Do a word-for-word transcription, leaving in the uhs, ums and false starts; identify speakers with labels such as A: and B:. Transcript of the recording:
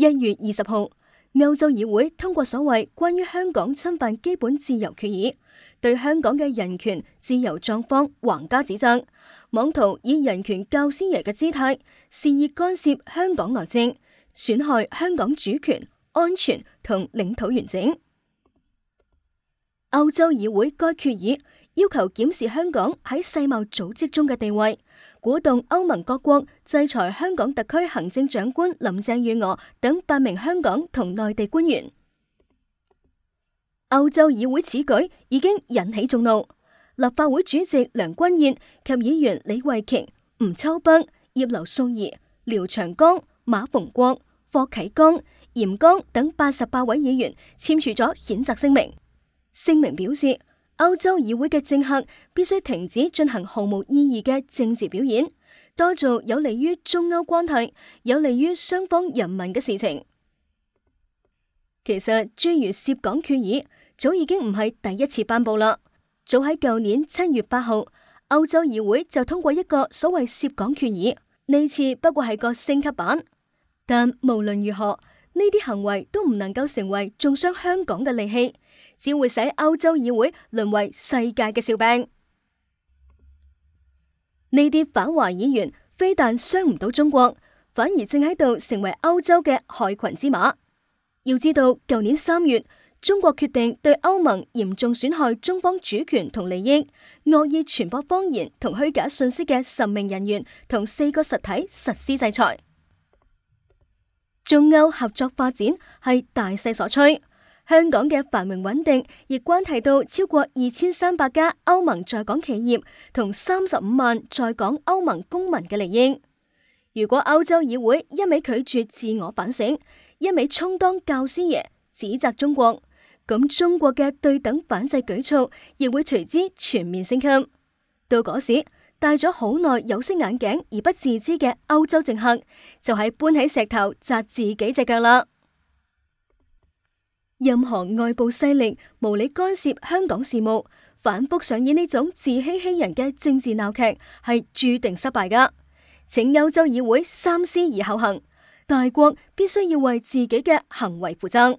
A: 一月二十號，歐洲議會通過所謂關於香港侵犯基本自由決議，對香港嘅人權自由狀況橫加指責，妄圖以人權教師爺嘅姿態，肆意干涉香港內政，損害香港主權、安全同領土完整。歐洲議會該決議要求檢視香港喺世貿組織中嘅地位，鼓動歐盟各國制裁香港特區行政長官林鄭月娥等八名香港同內地官員。歐洲議會此舉已經引起眾怒，立法會主席梁君彥及議員李慧瓊、吳秋北、葉劉淑儀、廖長江、馬逢國、霍啟剛、嚴剛等八十八位議員簽署咗譴責聲明。聲明表示，歐洲議會嘅政客必須停止進行毫無意義嘅政治表演，多做有利於中歐關係、有利於雙方人民嘅事情。其實，諸如涉港決議早已經唔係第一次頒布啦。早喺舊年七月八號，歐洲議會就通過一個所謂涉港決議，呢次不過係個升級版。但無論如何，呢啲行為都唔能夠成為中傷香港嘅利器，只會使歐洲議會淪為世界嘅笑柄。呢啲反華議員非但傷唔到中國，反而正喺度成為歐洲嘅害群之馬。要知道，舊年三月，中國決定對歐盟嚴重損害中方主權同利益、惡意傳播謊言同虛假信息嘅十名人員同四個實體實施制裁。中歐合作發展係大勢所趨，香港嘅繁榮穩定亦關係到超過二千三百家歐盟在港企業同三十五萬在港歐盟公民嘅利益。如果歐洲議會一味拒絕自我反省，一味充當教師爺指責中國，咁中國嘅對等反制舉措亦會隨之全面升級。到嗰時，戴咗好耐有色眼鏡而不自知嘅歐洲政客，就係搬起石頭砸自己隻腳啦。任何外部勢力無理干涉香港事務，反覆上演呢種自欺欺人嘅政治鬧劇，係注定失敗噶。請歐洲議會三思而後行，大國必須要為自己嘅行為負責。